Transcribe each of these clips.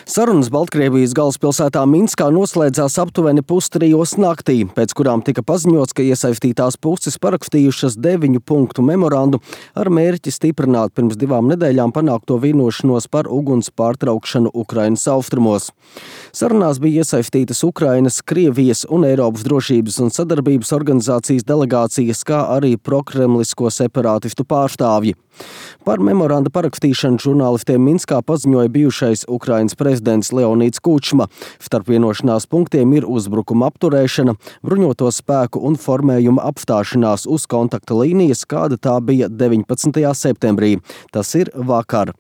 Sarunas Baltkrievijas galvaspilsētā Minskā noslēdzās aptuveni 2:30 naktī, pēc kurām tika paziņots, ka iesaistītās puses parakstījušas 9 punktu memorandu ar mērķi stiprināt pirms 2 nedēļām panākto vienošanos par uguns pārtraukšanu Ukrainas austrumos. Sarunās bija iesaistītas Ukrainas, Krievijas un Eiropas drošības un sadarbības organizācijas delegācijas, kā arī prokremlisko separātistu pārstāvji. Par memoranda parakstīšanu žurnālistiem Minskā paziņoja bijušais Ukrainas prezidents Leonīds Kučma. Starp vienošanās punktiem ir uzbrukuma apturēšana, bruņoto spēku un formējuma apstāšanās uz kontakta līnijas, kāda tā bija 19. septembrī. Tas ir vakar.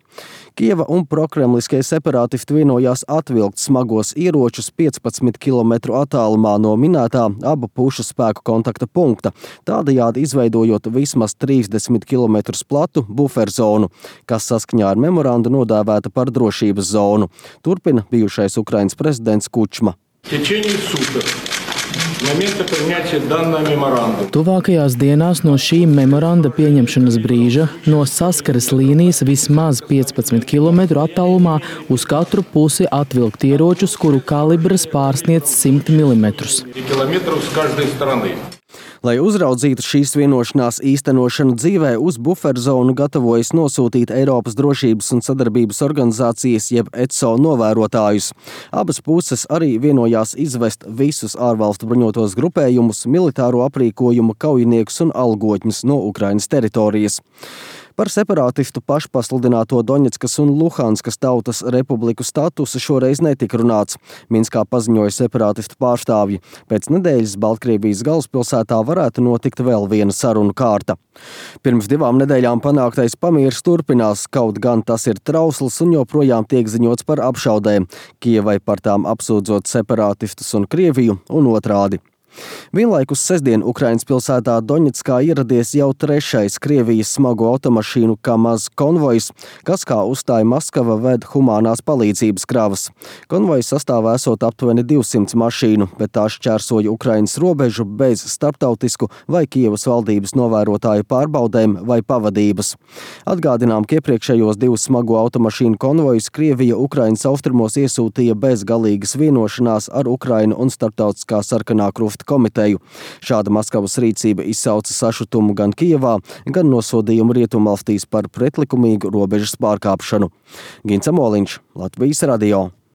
Kieva un prokremliskie separātisti vienojās atvilkt smagos ieročus 15 km attālumā no minētā abu pušu spēku kontakta punkta, tādējādi izveidojot vismaz 30 km platu buferzonu, kas saskaņā ar memorandu nodēvēta par drošības zonu. Turpina bijušais Ukrainas prezidents Kučma. Tuvākajās dienās no šī memoranda pieņemšanas brīža no saskares līnijas vismaz 15 km attālumā uz katru pusi atvilkt ieročus, kuru kalibrs pārsniedz 100 mm. Lai uzraudzītu šīs vienošanās īstenošanu dzīvē, uz buferzonu gatavojas nosūtīt Eiropas drošības un sadarbības organizācijas jeb ECO novērotājus. Abas puses arī vienojās izvest visus ārvalstu bruņotos grupējumus, militāro aprīkojumu, kaujiniekus un algotņus no Ukrainas teritorijas. Par separātistu pašpasludināto Doņetskas un Luhanskas tautas republiku statusu šoreiz netika runāts. Minskā paziņoja separātistu pārstāvji. Pēc nedēļas Baltkrievijas galvaspilsētā varētu notikt vēl viena sarunu kārta. Pirms 2 nedēļām panāktais pamieris turpinās, kaut gan tas ir trausls un joprojām tiek ziņots par apšaudēm, Kievai par tām apsūdzot separātistus un Krieviju un otrādi. Vienlaikus sestdien Ukrainas pilsētā Doņetskā ieradies jau 3. Krievijas smago automašīnu Kamaz konvojs, kas, kā uzstāja Maskava, ved humānās palīdzības kravas. Konvojs sastāvā esot aptuveni 200 mašīnu, bet tā šķērsoja Ukrainas robežu bez starptautisku vai Kievas valdības novērotāju pārbaudēm vai pavadības. Atgādinām, ka iepriekšējos 2 smago automašīnu konvojus Krievija Ukrainas austrumos iesūtīja bez galīgas vienošanās ar Ukrainu un Starptautiskā sarkanā krusta komiteju. Šāda Maskavas rīcība izsauca sašutumu gan Kijevā, gan nosodījumu rietumvalstīs par pretlikumīgu robežas pārkāpšanu. Gins Amoliņš, Latvijas radio.